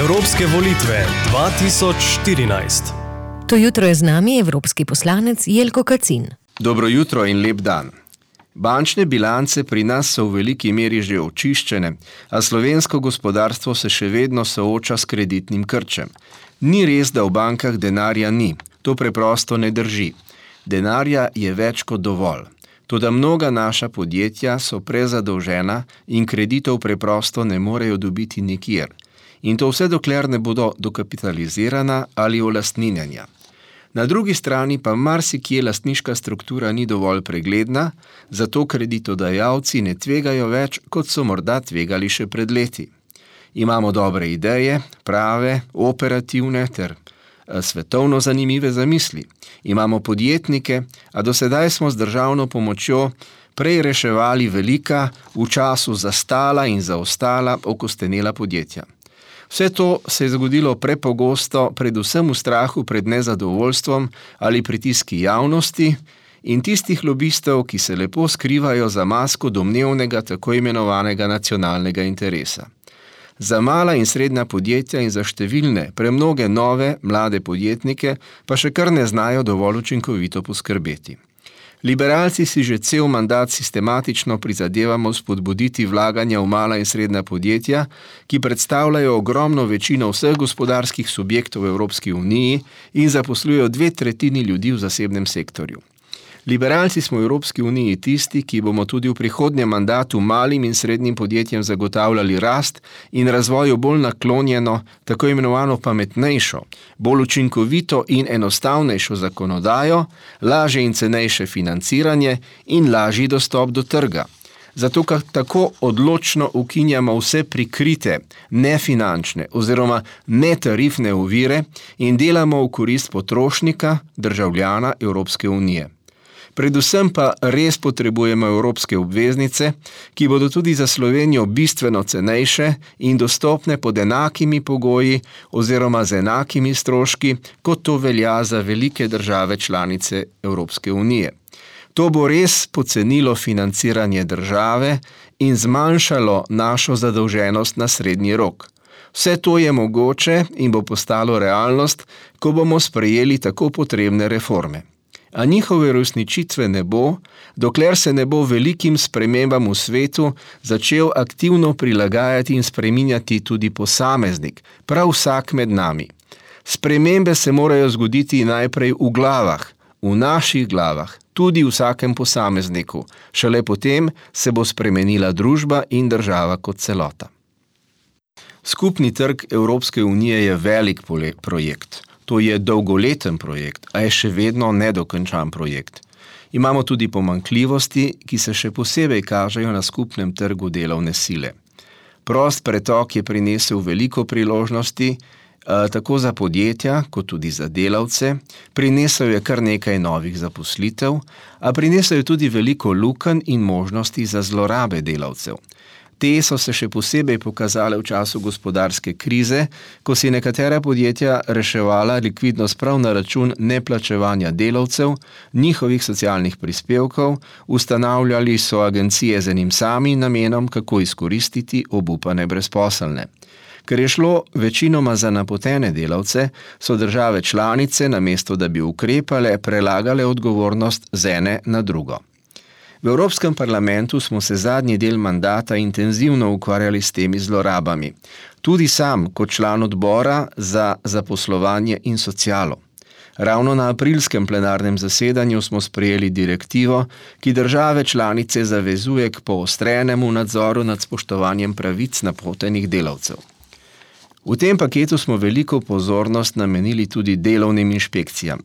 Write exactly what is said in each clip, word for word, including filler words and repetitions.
Evropske volitve dva tisoč štirinajst. To jutro je z nami evropski poslanec Jelko Kacin. Dobro jutro in lep dan. Bančne bilance pri nas so v veliki meri že očiščene, a slovensko gospodarstvo se še vedno sooča s kreditnim krčem. Ni res, da v bankah denarja ni. To preprosto ne drži. Denarja je več kot dovolj. Toda mnoga naša podjetja so prezadolžena in kreditov preprosto ne morejo dobiti nikjer. In to vse dokler ne bodo dokapitalizirana ali olastninjena. Na drugi strani pa marsikje lastniška struktura ni dovolj pregledna, zato kreditodajalci ne tvegajo več, kot so morda tvegali še pred leti. Imamo dobre ideje, prave, operativne ter svetovno zanimive zamisli. Imamo podjetnike, a do sedaj smo z državno pomočjo prej reševali velika, v času zastala in zaostala, okostenela podjetja. Vse to se je zgodilo prepogosto, predvsem v strahu pred nezadovoljstvom ali pritiski javnosti in tistih lobistov, ki se lepo skrivajo za masko domnevnega tako imenovanega nacionalnega interesa. Za mala in srednja podjetja in za številne, premnoge nove, mlade podjetnike pa še kar ne znajo dovolj učinkovito poskrbeti. Liberalci si že cel mandat sistematično prizadevamo spodbuditi vlaganja v mala in srednja podjetja, ki predstavljajo ogromno večino vseh gospodarskih subjektov v Evropski uniji in zaposlujejo dve tretjini ljudi v zasebnem sektorju. Liberalci smo v Evropski uniji tisti, ki bomo tudi v prihodnjem mandatu malim in srednjim podjetjem zagotavljali rast in razvoju bolj naklonjeno, tako imenovano pametnejšo, bolj učinkovito in enostavnejšo zakonodajo, lažje in cenejše financiranje in lažji dostop do trga. Zato tako odločno ukinjamo vse prikrite, nefinančne oziroma netarifne ovire in delamo v korist potrošnika, državljana Evropske unije. Predvsem pa res potrebujemo evropske obveznice, ki bodo tudi za Slovenijo bistveno cenejše in dostopne pod enakimi pogoji oziroma z enakimi stroški, kot to velja za velike države članice Evropske unije. To bo res pocenilo financiranje države in zmanjšalo našo zadolženost na srednji rok. Vse to je mogoče in bo postalo realnost, ko bomo sprejeli tako potrebne reforme. A njihove uresničitve ne bo, dokler se ne bo velikim spremembam v svetu začel aktivno prilagajati in spreminjati tudi posameznik, prav vsak med nami. Spremembe se morajo zgoditi najprej v glavah, v naših glavah, tudi v vsakem posamezniku. Šele potem se bo spremenila družba in država kot celota. Skupni trg Evropske unije je velik projekt. To je dolgoleten projekt, a je še vedno nedokončan projekt. Imamo tudi pomanjkljivosti, ki se še posebej kažejo na skupnem trgu delovne sile. Prost pretok je prinesel veliko priložnosti, tako za podjetja, kot tudi za delavce, prinesel je kar nekaj novih zaposlitev, a prinesel je tudi veliko lukenj in možnosti za zlorabe delavcev. Te so se še posebej pokazale v času gospodarske krize, ko si nekatera podjetja reševala likvidnost prav na račun neplačevanja delavcev, njihovih socialnih prispevkov, ustanavljali so agencije z enim samim namenom, kako izkoristiti obupane brezposelne. Ker je šlo večinoma za napotene delavce, so države članice, namesto da bi ukrepale, prelagale odgovornost z ene na drugo. V Evropskem parlamentu smo se zadnji del mandata intenzivno ukvarjali s temi zlorabami. Tudi sam, kot član odbora za zaposlovanje in socialo. Ravno na aprilskem plenarnem zasedanju smo sprejeli direktivo, ki države članice zavezuje k poostrenemu nadzoru nad spoštovanjem pravic napotenih delavcev. V tem paketu smo veliko pozornost namenili tudi delovnim inšpekcijam.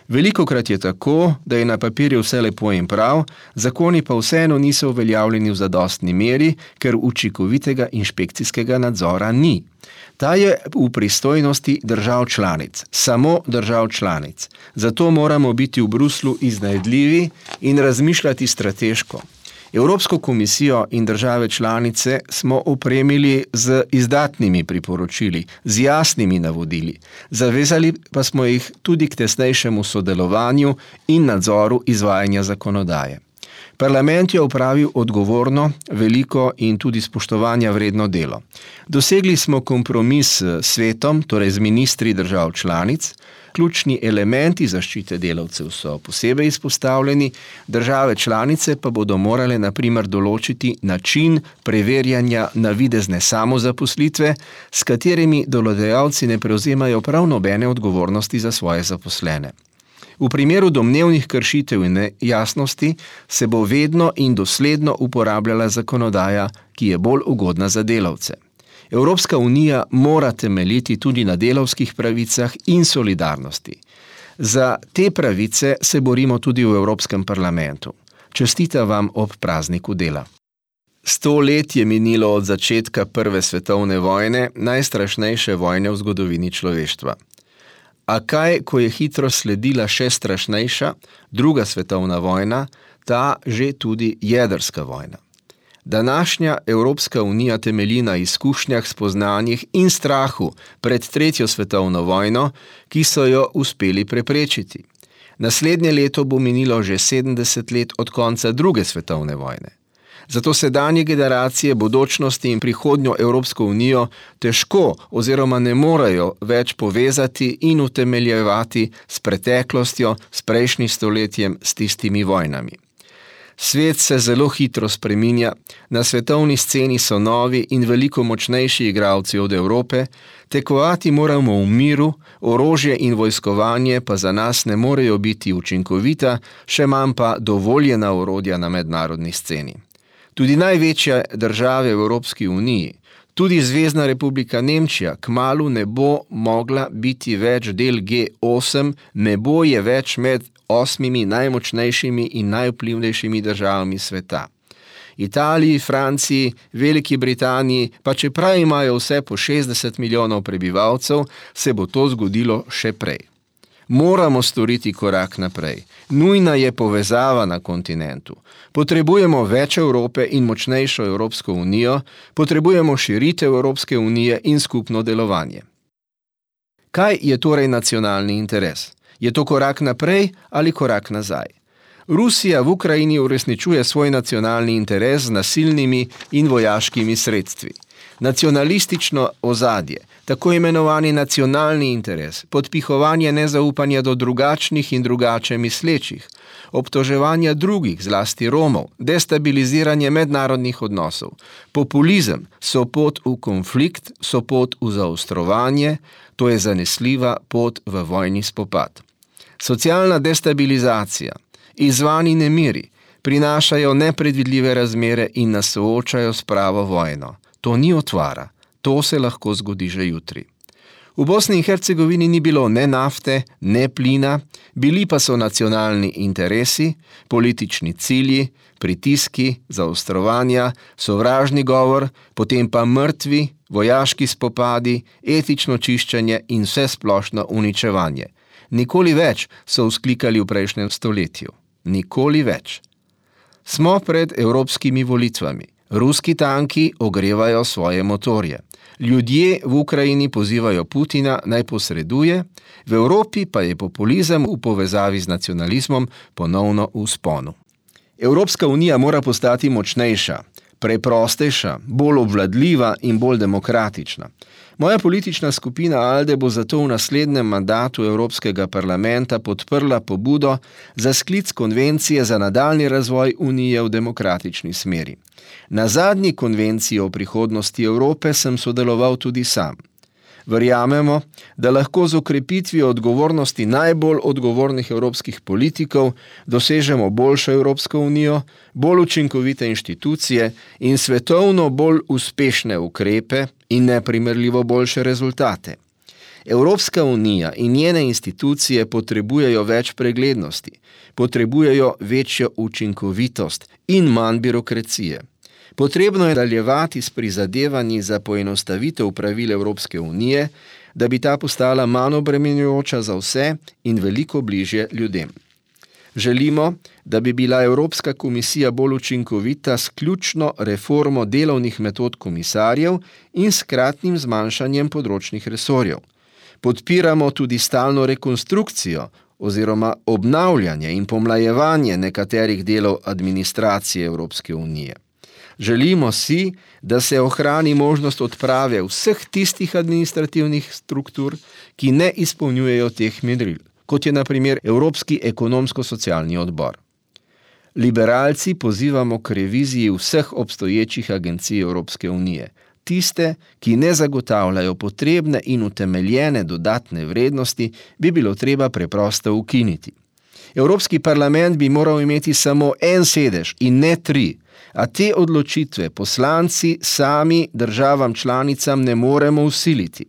Velikokrat je tako, da je na papirju vse lepo in prav, zakoni pa vseeno niso uveljavljeni v zadostni meri, ker učinkovitega inšpekcijskega nadzora ni. Ta je v pristojnosti držav članic, samo držav članic. Zato moramo biti v Bruslu iznajdljivi in razmišljati strateško. Evropsko komisijo in države članice smo opremili z izdatnimi priporočili, z jasnimi navodili. Zavezali pa smo jih tudi k tesnejšemu sodelovanju in nadzoru izvajanja zakonodaje. Parlament je opravil odgovorno, veliko in tudi spoštovanja vredno delo. Dosegli smo kompromis s svetom, torej z ministri držav članic. Ključni elementi zaščite delavcev so posebej izpostavljeni, države članice pa bodo morale na primer določiti način preverjanja navidezne samozaposlitve, s katerimi delodajalci ne prevzemajo prav nobene odgovornosti za svoje zaposlene. V primeru domnevnih kršitev in nejasnosti se bo vedno in dosledno uporabljala zakonodaja, ki je bolj ugodna za delavce. Evropska unija mora temeljiti tudi na delavskih pravicah in solidarnosti. Za te pravice se borimo tudi v Evropskem parlamentu. Čestitam vam ob prazniku dela. Sto let je minilo od začetka Prve svetovne vojne, najstrašnejše vojne v zgodovini človeštva. A kaj, ko je hitro sledila še strašnejša, druga svetovna vojna, ta že tudi jedrska vojna. Današnja Evropska unija temelji na izkušnjah, spoznanjih in strahu pred tretjo svetovno vojno, ki so jo uspeli preprečiti. Naslednje leto bo minilo že sedemdeset let od konca druge svetovne vojne. Zato sedanje generacije bodočnosti in prihodnjo Evropsko unijo težko oziroma ne morejo več povezati in utemeljevati s preteklostjo, s prejšnjim stoletjem, s tistimi vojnami. Svet se zelo hitro spreminja, na svetovni sceni so novi in veliko močnejši igralci od Evrope, tekmovati moramo v miru, orožje in vojskovanje pa za nas ne morejo biti učinkovita, še manj pa dovoljena orodja na mednarodni sceni. Tudi največje države v Evropski uniji, tudi Zvezna republika Nemčija, kmalu ne bo mogla biti več del G osem, ne bo je več med osmimi najmočnejšimi in najvplivnejšimi državami sveta. Italiji, Franciji, Veliki Britaniji, pa čeprav imajo vse po šestdeset milijonov prebivalcev, se bo to zgodilo še prej. Moramo storiti korak naprej. Nujna je povezava na kontinentu. Potrebujemo več Evrope in močnejšo Evropsko unijo, potrebujemo širitev Evropske unije in skupno delovanje. Kaj je torej nacionalni interes? Je to korak naprej ali korak nazaj? Rusija v Ukrajini uresničuje svoj nacionalni interes z nasilnimi in vojaškimi sredstvi. Nacionalistično ozadje, tako imenovani nacionalni interes, podpihovanje nezaupanja do drugačnih in drugače mislečih, obtoževanja drugih, zlasti Romov, destabiliziranje mednarodnih odnosov, populizem so pot v konflikt, so pot v zaostrovanje, to je zanesljiva pot v vojni spopad. Socialna destabilizacija, izzvani nemiri, prinašajo nepredvidljive razmere in nas soočajo s pravo vojno. To ni otvara, to se lahko zgodi že jutri. V Bosni in Hercegovini ni bilo ne nafte, ne plina, bili pa so nacionalni interesi, politični cilji, pritiski, zaostrovanja, sovražni govor, potem pa mrtvi, vojaški spopadi, etično čiščenje in vse splošno uničevanje. Nikoli več, so vzklikali v prejšnjem stoletju. Nikoli več. Smo pred evropskimi volitvami. Ruski tanki ogrevajo svoje motorje. Ljudje v Ukrajini pozivajo Putina naj posreduje, v Evropi pa je populizem v povezavi z nacionalizmom ponovno v vzponu. Evropska unija mora postati močnejša, preprostejša, bolj obvladljiva in bolj demokratična. Moja politična skupina Alde bo zato v naslednjem mandatu Evropskega parlamenta podprla pobudo za sklic konvencije za nadaljnji razvoj Unije v demokratični smeri. Na zadnji konvenciji o prihodnosti Evrope sem sodeloval tudi sam. Verjamemo, da lahko z okrepitvijo odgovornosti najbolj odgovornih evropskih politikov dosežemo boljšo Evropsko unijo, bolj učinkovite inštitucije in svetovno bolj uspešne ukrepe in neprimerljivo boljše rezultate. Evropska unija in njene institucije potrebujejo več preglednosti, potrebujejo večjo učinkovitost in manj birokracije. Potrebno je nadaljevati s prizadevanji za poenostavitev pravil Evropske unije, da bi ta postala manj obremenjujoča za vse in veliko bližje ljudem. Želimo, da bi bila Evropska komisija bolj učinkovita s ključno reformo delovnih metod komisarjev in s kratnim zmanjšanjem področnih resorjev. Podpiramo tudi stalno rekonstrukcijo, oziroma obnavljanje in pomlajevanje nekaterih delov administracije Evropske unije. Želimo si, da se ohrani možnost odprave vseh tistih administrativnih struktur, ki ne izpolnjujejo teh meril, kot je na primer Evropski ekonomsko-socialni odbor. Liberalci pozivamo k reviziji vseh obstoječih agencij Evropske unije, tiste, ki ne zagotavljajo potrebne in utemeljene dodatne vrednosti, bi bilo treba preprosto ukiniti. Evropski parlament bi moral imeti samo en sedež in ne tri, a te odločitve poslanci sami državam članicam ne moremo vsiliti.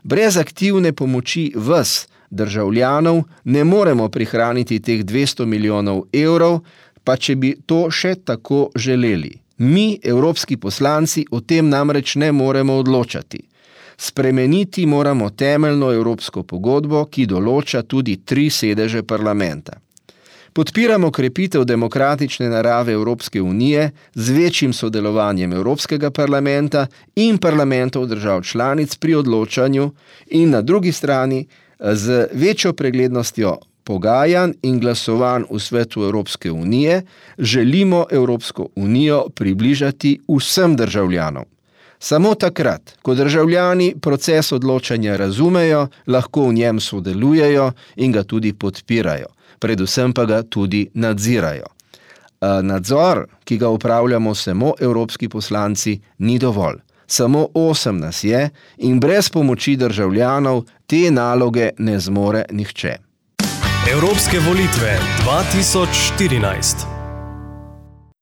Brez aktivne pomoči vas, državljanov, ne moremo prihraniti teh dvesto milijonov evrov, pa če bi to še tako želeli. Mi, evropski poslanci, o tem namreč ne moremo odločati. Spremeniti moramo temeljno evropsko pogodbo, ki določa tudi tri sedeže parlamenta. Podpiramo krepitev demokratične narave Evropske unije z večjim sodelovanjem Evropskega parlamenta in parlamentov držav članic pri odločanju in na drugi strani z večjo preglednostjo pogajanj in glasovanj v svetu Evropske unije želimo Evropsko unijo približati vsem državljanom. Samo takrat, ko državljani proces odločanja razumejo, lahko v njem sodelujejo in ga tudi podpirajo, predvsem pa ga tudi nadzirajo. Nadzor, ki ga upravljamo samo evropski poslanci, ni dovolj. Samo osem nas je in brez pomoči državljanov te naloge ne zmore nihče. Evropske volitve dva tisoč štirinajst.